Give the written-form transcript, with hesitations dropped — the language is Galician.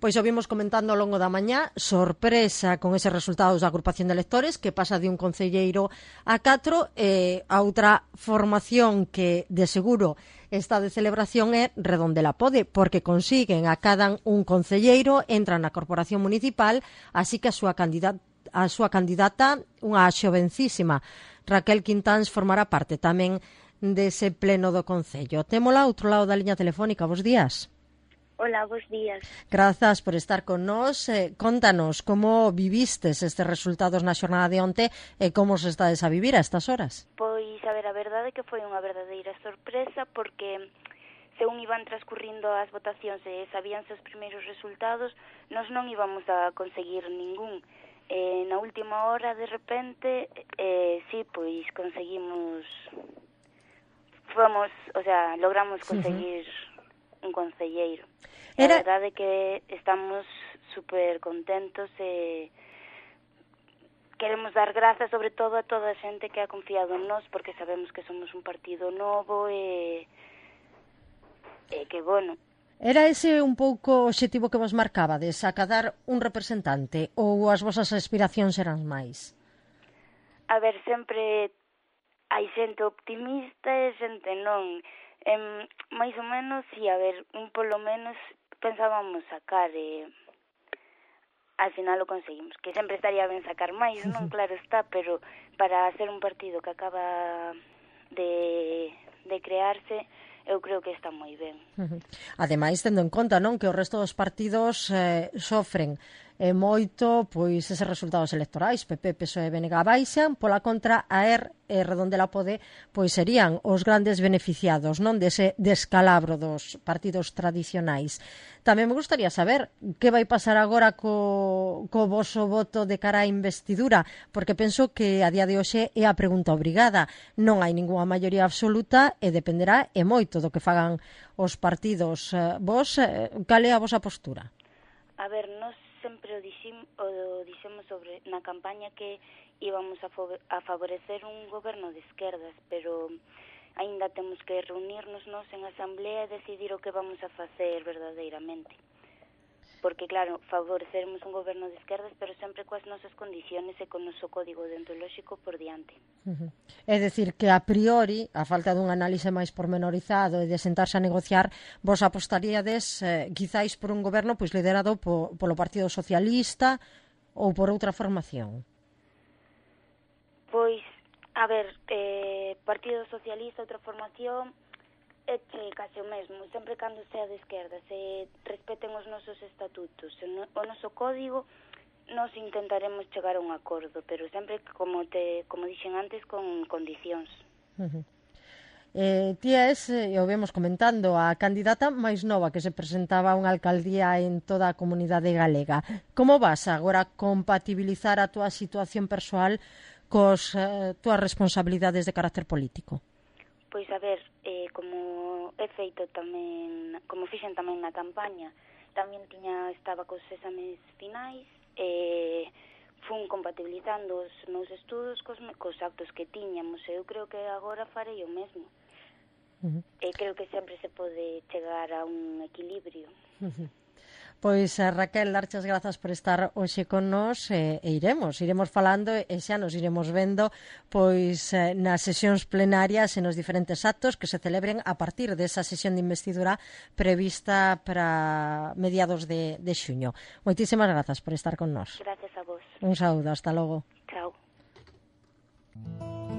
Pois o vimos comentando ao longo da mañá, sorpresa con eses resultados da agrupación de electores, que pasa de un concelleiro a 4, e a outra formación que de seguro está de celebración é Redondela Pode, porque consiguen, acadan un concelleiro, entran na corporación municipal, así que a súa candidata, unha xovencísima, Raquel Quintáns, formará parte tamén dese pleno do Concello. Témola ao outro lado da liña telefónica. Bos días. Hola, bos días. Grazas por estar con nós. Contanos como vivistes estes resultados na xornada de onte e como se estades a vivir a estas horas. Pois, a verdade é que foi unha verdadeira sorpresa porque según iban transcurrindo as votacións e sabíanse os primeiros resultados, nós non íbamos a conseguir ningún. Na última hora, de repente, sí, pois conseguimos... logramos conseguir un concelleiro. A verdade é que estamos super contentos e queremos dar grazas sobre todo a toda a xente que ha confiado en nós, porque sabemos que somos un partido novo e que, bueno... Era ese un pouco o obxectivo que vos marcabades, acadar un representante, ou as vosas aspiracións eran máis? A ver, sempre... hai xente optimista e xente non. Mais ou menos, si, a ver, polo menos pensábamos sacar e al final o conseguimos. Que sempre estaría ben sacar máis, non? Claro está, pero para ser un partido que acaba de crearse, eu creo que está moi ben. Ademais, tendo en conta, non, que o resto dos partidos sofren moito pois eses resultados electorais, PP, PSOE e BNG baixan, pola contra a ERR e Redondela Pode pois serían os grandes beneficiados, non, dese descalabro dos partidos tradicionais. Tamén me gustaría saber que vai pasar agora co voso voto de cara á investidura, porque penso que a día de hoxe é a pregunta obrigada. Non hai ningunha maioría absoluta e dependerá e moito do que fagan os partidos. Vos, cal é a vosa postura? A ver, nós sempre o dixemos na campaña que íbamos a favorecer un goberno de esquerdas, pero aínda temos que reunirnos nós en asamblea e decidir o que vamos a facer verdadeiramente. Porque, claro, favoreceremos un goberno de esquerdas, pero sempre coas nosas condiciones e con o noso código deontolóxico por diante. É dicir, que a priori, a falta dun análise máis pormenorizado e de sentarse a negociar, vos apostaríades quizáis por un goberno pois liderado polo Partido Socialista ou por outra formación? Pois, a ver, Partido Socialista, outra formación... é case o mesmo, sempre cando sea de esquerda, se respeten os nosos estatutos, o noso código, nos intentaremos chegar a un acordo, pero sempre, como dixen antes, con condicións. Ti és, e o vemos comentando, a candidata máis nova que se presentaba a unha alcaldía en toda a comunidade galega. Como vas agora compatibilizar a túa situación persoal cos túas responsabilidades de carácter político? Pois, a ver, como he feito tamén, como fixen tamén na campaña, tamén estaba cos exames finais, fun compatibilizando os meus estudos cos actos que tiñamos, e eu creo que agora farei o mesmo. E creo que sempre se pode chegar a un equilibrio. Pois, Raquel, darche as grazas por estar hoxe con nós e iremos falando e xa nos iremos vendo pois nas sesións plenarias e nos diferentes actos que se celebren a partir desa sesión de investidura prevista para mediados de xuño. Moitísimas grazas por estar con nós. Gracias a vos. Un saúdo, hasta logo.